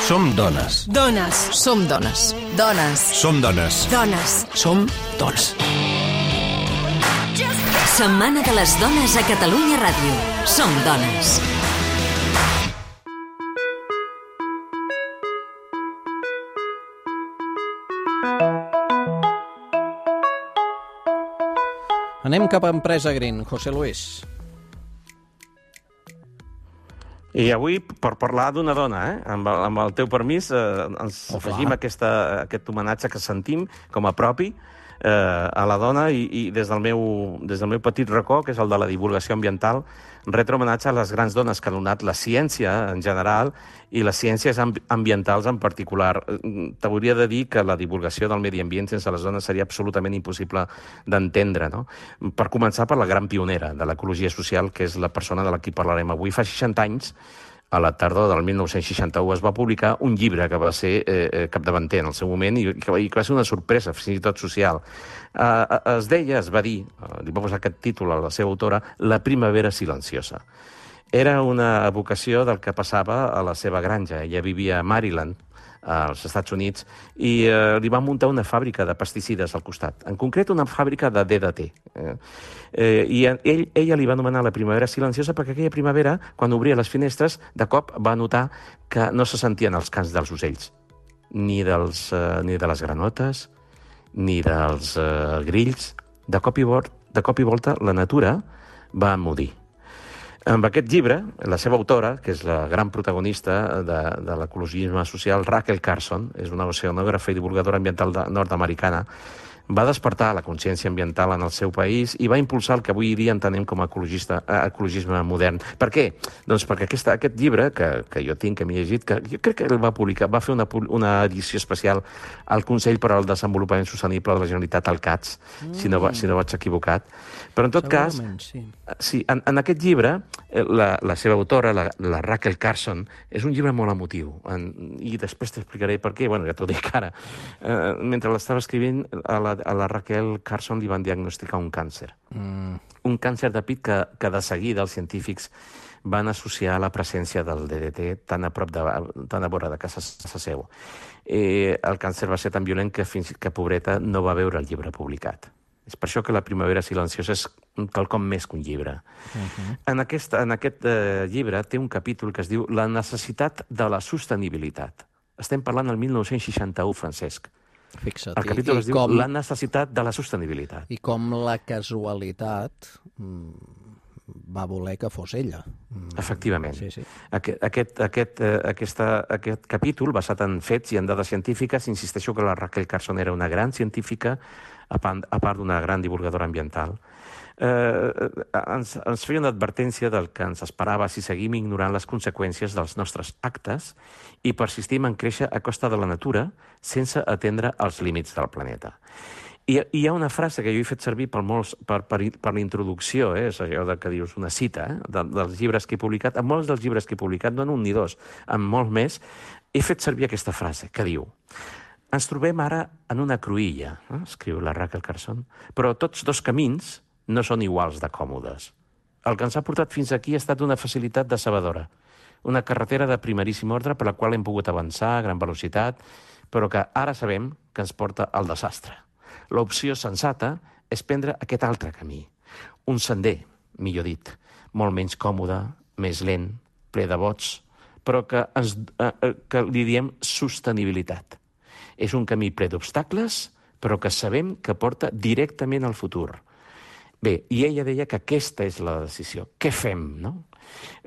Som dones. Dones. Som dones. Dones. Som dones. Dones. Som dones. Setmana de les dones a Catalunya Ràdio. Som dones. Anem cap a Empresa Green, José Luis. I avui, per parlar d'una dona, amb el teu permís, ens afegim aquest homenatge que sentim com a propi a la dona i des del meu petit racó, que és el de la divulgació ambiental, retre homenatge a les grans dones que han donat la ciència en general i les ciències ambientals en particular. T'hauria de dir que la divulgació del medi ambient sense les dones seria absolutament impossible d'entendre, no? Per començar per la gran pionera de l'ecologia social, que és la persona de la qui parlarem avui. Fa 60 anys, a la tardor del 1961, es va publicar un llibre que va ser capdavanter en el seu moment i que va ser una sorpresa, fins i tot social. Es va dir, li va posar aquest títol a la seva autora, La primavera silenciosa. Era una evocació del que passava a la seva granja. Ella vivia a Maryland, als Estats Units, i li van muntar una fàbrica de pesticides al costat, en concret una fàbrica de DDT. I ella li va anomenar la primavera silenciosa perquè aquella primavera, quan obria les finestres, de cop va notar que no se sentien els cants dels ocells, ni de les granotes, ni dels grills. De cop i volta, la natura va emmudir. Amb aquest llibre, la seva autora, que és la gran protagonista de l'ecologisme social, Rachel Carson, és una oceanògrafa i divulgadora ambiental nord-americana, va despertar la consciència ambiental en el seu país i va impulsar el que avui dia entenem com a ecologisme modern. Per què? Doncs perquè aquest llibre, que jo tinc, que m'he llegit, que jo crec que el va publicar, va fer una edició especial al Consell per al Desenvolupament Sostenible de la Generalitat, al CATS, si no vaig equivocat. Però en tot cas, sí, en aquest llibre, la seva autora, la Rachel Carson, és un llibre molt emotiu. I després t'explicaré per què. Bueno, ja t'ho dic ara. Mentre l'estava escrivint, a la Rachel Carson li van diagnosticar un càncer. Un càncer de pit que de seguida els científics van associar la presència del DDT tan a vora de casa seu. El càncer va ser tan violent que pobreta no va veure el llibre publicat. És per això que la primavera silenciosa és quelcom més que un llibre. En aquest llibre té un capítol que es diu La necessitat de la sostenibilitat. Estem parlant del 1961, Francesc. Fixa't. El capítol es diu La necessitat de la sostenibilitat. I com la casualitat va voler que fos ella. Efectivament. Sí. Aquest capítol, basat en fets i en dades científiques, insisteixo que la Rachel Carson era una gran científica, a part d'una gran divulgadora ambiental. Ens feia una advertència del que ens esperava si seguim ignorant les conseqüències dels nostres actes i persistim en créixer a costa de la natura sense atendre els límits del planeta. I hi ha una frase que jo he fet servir per la introducció, és allò que dius, una cita dels llibres que he publicat. En molts dels llibres que he publicat, no en un ni dos, en molts més, he fet servir aquesta frase, que diu: ens trobem ara en una cruïlla, escriu la Rachel Carson, però tots dos camins no són iguals de còmodes. El que ens ha portat fins aquí ha estat una facilitat decebedora, una carretera de primeríssim ordre per la qual hem pogut avançar a gran velocitat, però que ara sabem que ens porta al desastre. L'opció sensata és prendre aquest altre camí, un sender, millor dit, molt menys còmode, més lent, ple de bots, però que li diem sostenibilitat. És un camí ple d'obstacles, però que sabem que porta directament al futur. Bé, i ella deia que aquesta és la decisió. Què fem, no?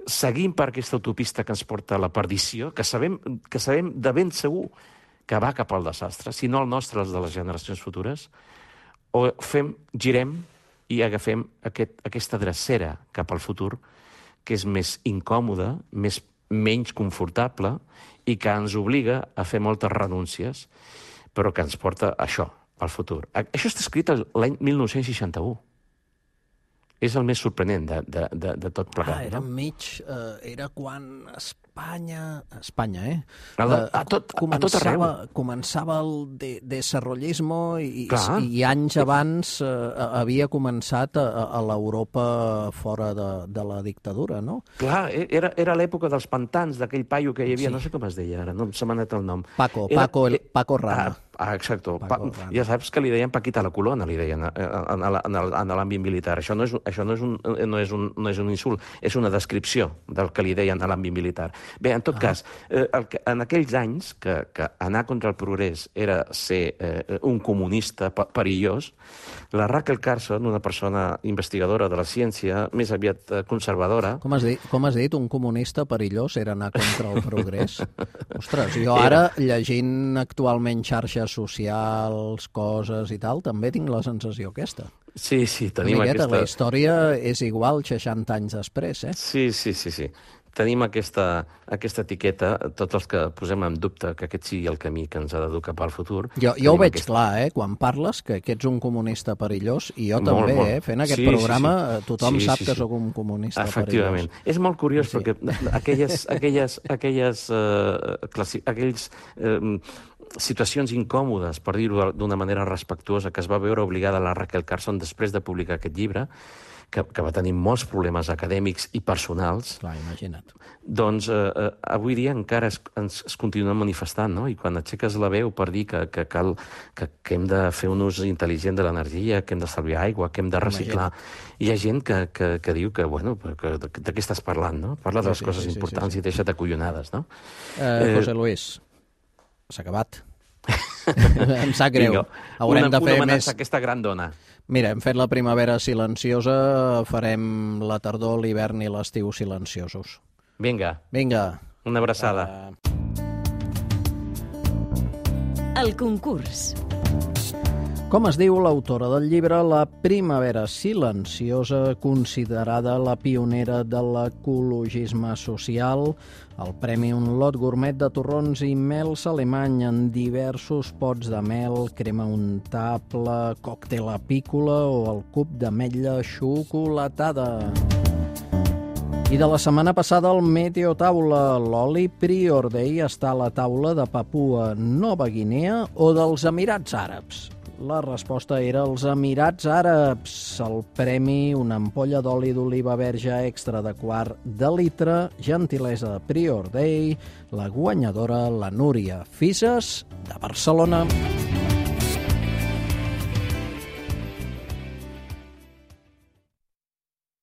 Seguim per aquesta autopista que ens porta a la perdició, que sabem de ben segur que va cap al desastre, si no el nostre, els de les generacions futures, o girem i agafem aquesta drecera cap al futur, que és més incòmoda, menys confortable i que ens obliga a fer moltes renúncies, però que ens porta a això, al futur. Això està escrit l'any 1961. És el més sorprenent de tot plegat. Era enmig, era quan Espanya, A tot arreu. Començava el desarrollismo i anys abans havia començat a l'Europa fora de la dictadura, no? Clar, era l'època dels pantans, d'aquell paio que hi havia, no sé com es deia ara, no se m'ha anat el nom. Paco Rama. Exacto. Ja saps que li deien Paquita la Colona, li deien en l'àmbit militar. Això no és un insult, és una descripció del que li deien a l'àmbit militar. Bé, en tot cas, en aquells anys que anar contra el progrés era ser un comunista perillós, la Rachel Carson, una persona investigadora de la ciència, més aviat conservadora... Com has dit, un comunista perillós era anar contra el progrés? Ostres, jo ara, llegint actualment xarxes socials, coses i tal, també tinc la sensació aquesta. Sí, tenim aquesta... La història és igual 60 anys després, eh? Sí. Tenim aquesta etiqueta, tots els que posem en dubte que aquest sigui el camí que ens ha d'educar cap al futur. Jo ho veig clar, quan parles, que ets un comunista perillós, i jo també, fent aquest programa, tothom sap que sóc un comunista efectivament. Perillós. És molt curiós perquè aquelles situacions incòmodes, per dir-ho d'una manera respectuosa, que es va veure obligada la Rachel Carson després de publicar aquest llibre, que va tenir molts problemes acadèmics i personals. Clar, imagina't. Doncs avui dia encara es continuen manifestant, no? I quan aixeques la veu per dir que hem de fer un ús intel·ligent de l'energia, que hem d'estalviar aigua, que hem de reciclar, hi ha gent que diu que, bueno, de què estàs parlant, no? Parla de les coses importants i deixa't acollonades, no? José Luis, s'ha acabat. Em sap greu. Haurem de fer més... aquesta gran dona. Mira, hem fet la primavera silenciosa, farem la tardor, l'hivern i l'estiu silenciosos. Vinga. Una abraçada. El concurs. Com es diu l'autora del llibre La primavera silenciosa, considerada la pionera de l'ecologisme social? El premi Un lot gourmet de torrons i mels alemany en diversos pots de mel, crema untable, còctel apícola o el cub d'ametlla xocolatada. I de la setmana passada el Meteotaula, l'oli Prior Day està a la taula de Papua Nova Guinea o dels Emirats Àrabs? La resposta era els Emirats Àrabs. El premi, una ampolla d'oli d'oliva verge extra de quart de litre, gentilesa de Prior Day, la guanyadora, la Núria Fises, de Barcelona.